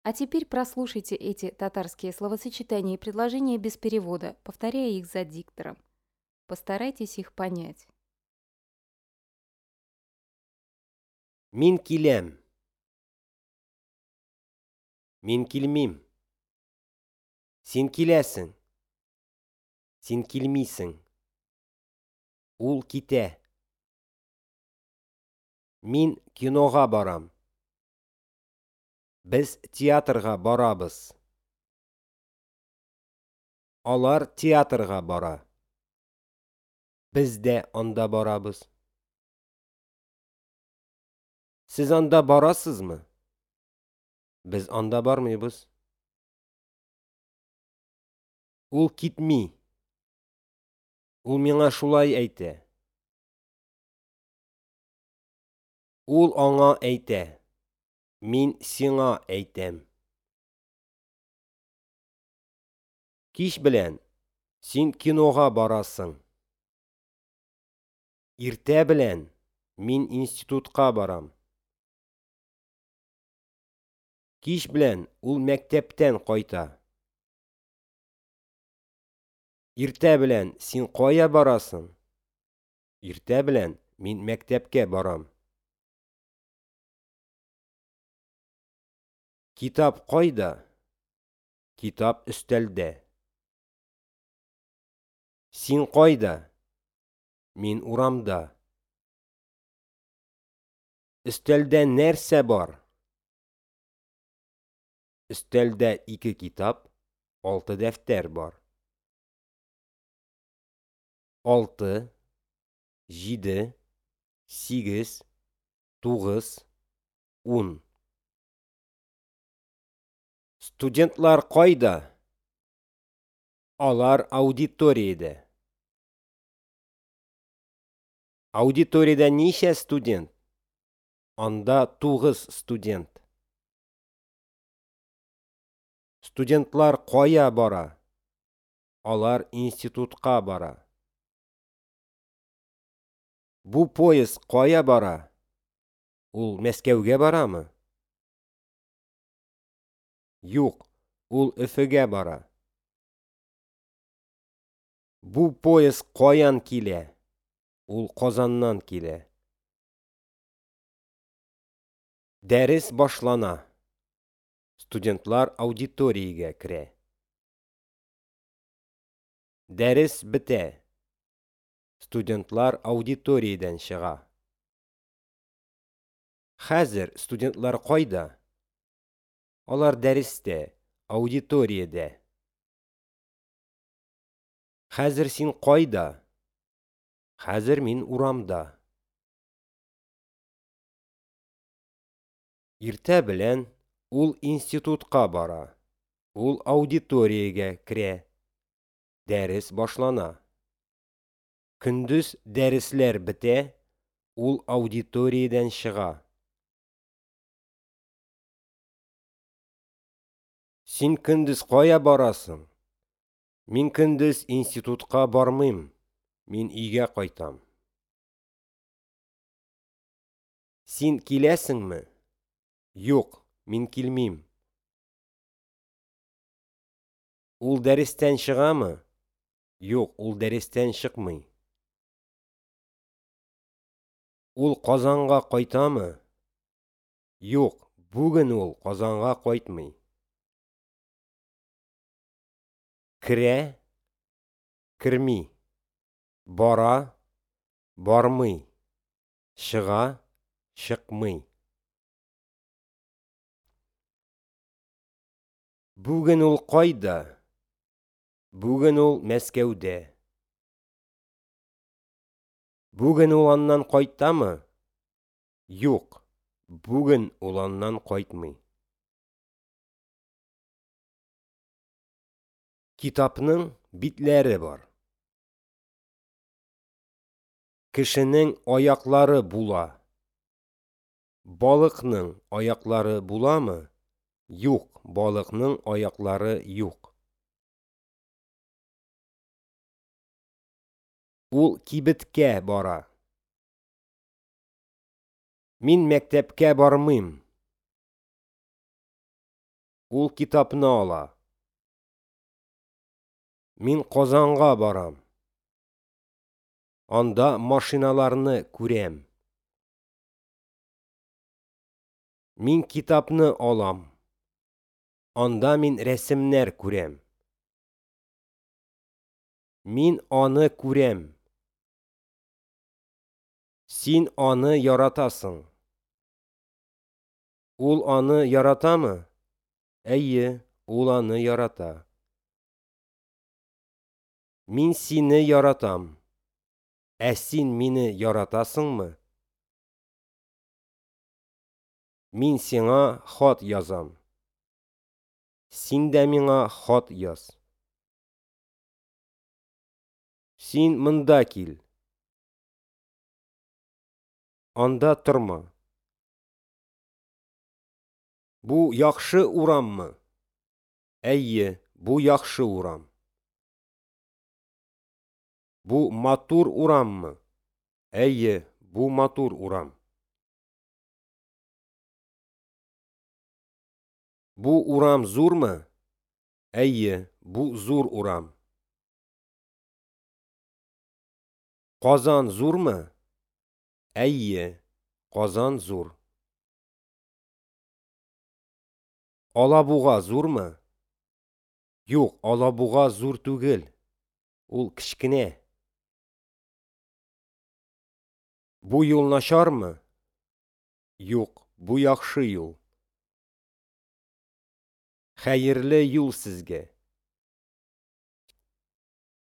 А теперь прослушайте эти татарские словосочетания и предложения без перевода, повторяя их за диктором. Постарайтесь их понять. Мин киләм. Мин килмим. Син киләсең. Син килмисең. Ул китә. Мин кинога барам. Без театрга барабыз. Алар театрга бара. Без дә анда барабыз. Сез анда барасызмы? Без анда бармыйбыз. Ул китми. Ул миңа шулай әйтә. Ул аңа әйтә. Мин сиңа әйтәм. Кич белән син кинога барасың. Иртә белән мин институтка барам. Кич белән ул мәктәптән кайта. Иртә белән син кая барасың? Иртә белән мин мәктәпкә барам. Китап кайда? Китап өстәлдә. Син кайда? Мин урамда. Өстәлдә нәрсә бар? Өстәлдә ике китап, алты дәфтәр бар. 6, 7, 8, 9, 10. Студентлар кайда? Алар аудиториядә. Аудиториядә ничә студент? Анда 9 студент. Студентлар кая бара? Алар институтка бара. Бу поезд кая бара? Ул Мәскәүгә барамы? Юк, ул Өфегә бара. Бу поезд каян килә? Ул Казаннан килә. Дәрес башлана. Студентлар аудиториягә керә. Дәрес бетә. Студентлар аудиториядән чыга. Хәзер студентлар кайда? Алар дәрестә, аудиториядә. Хәзер син кайда? Хәзер мин урамда. Иртә белән ул институтка бара. Ул аудиториягә керә. Дәрес башлана. Көндез дәресләр бетә, ул аудиториядән чыга. Син көндез кая барасың? Мин көндез институтка бармыйм. Мин өйгә кайтам. Син киләсеңме? Юк, мин килмим. Ул дәрестән чыгамы? Юк, ул дәрестән чыкмый. Ул Казанга кайтамы? Юк, бүген ул Казанга кайтмый. Керә, керми. Бара, бармый. Чыга, чыкмый. Бүген ул кайда? Бүген ул Мәскәүдә. Бүген ул аннан кайтамы? Юк, бүген ул аннан кайтмый. Китапның битләре бар. Кешенең аяклары була. Балыкның аяклары буламы? Юк, балыкның аяклары юк. Ул кибеткә бара. Мин мәктәпкә бармыйм. Ул китапны ала. Мин Казанга барам. Анда машиналарны күрәм. Мин китапны алам. Анда мин рәсемнәр күрәм. Мин аны күрәм. Син аны яратасың. Ул аны яратамы? Әйе, ул аны ярата. Мин сине яратам. Ә син мине яратасыңмы? Мин сиңа хат язам. Син дә миңа хат яз. Син монда кил. Анда торма. Бу яхшы ураммы? Әйе, бу яхшы урам. Бу матур ураммы? Әйе, бу матур урам. Бу урам зурмы? Әйе, бу зур урам. Казан зурмы? Әйе, Казан зур. Алабуга зурмы? Юк, Алабуга зур түгел. Ул кечкенә. Бу юл начармы? Юк, бу яхшы юл. Хәерле юл сезгә!